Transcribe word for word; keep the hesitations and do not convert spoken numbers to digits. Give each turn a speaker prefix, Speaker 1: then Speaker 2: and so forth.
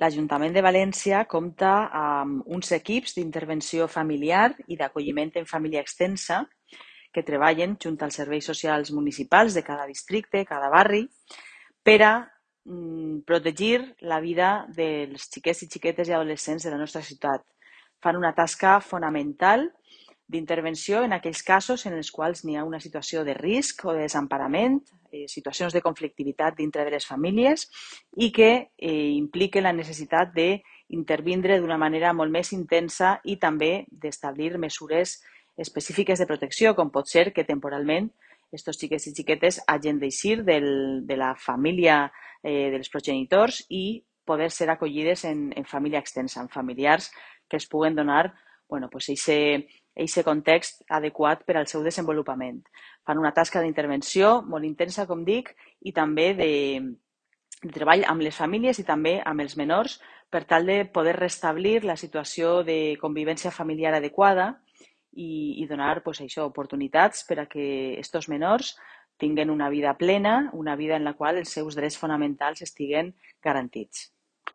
Speaker 1: l'Ajuntament de València compta amb uns equips d'intervenció familiar i d'acolliment en família extensa que treballen junt als serveis socials municipals de cada districte, cada barri, per a mm, protegir la vida dels xiquets i xiquetes i adolescents de la nostra ciutat. Fan una tasca fonamental d'intervenció en aquells casos en els quals n'hi ha una situació de risc o de desemparament, eh, situacions de conflictivitat dintre de les famílies i que eh, impliquen la necessitat d'intervindre d'una manera molt més intensa i també d'establir mesures específiques de protecció, com pot ser que temporalment estos xiquets i xiquetes hagin d'eixir de la família eh, dels progenitors i poder ser acollides en, en família extensa, en familiars que els puguen donar bueno, pues ese, ese context adequat per al seu desenvolupament. Fan una tasca d'intervenció molt intensa, com dic, i també de, de treball amb les famílies i també amb els menors per tal de poder restablir la situació de convivència familiar adequada i, i donar pues, això, oportunitats per a que aquests menors tinguin una vida plena, una vida en la qual els seus drets fonamentals estiguen garantits.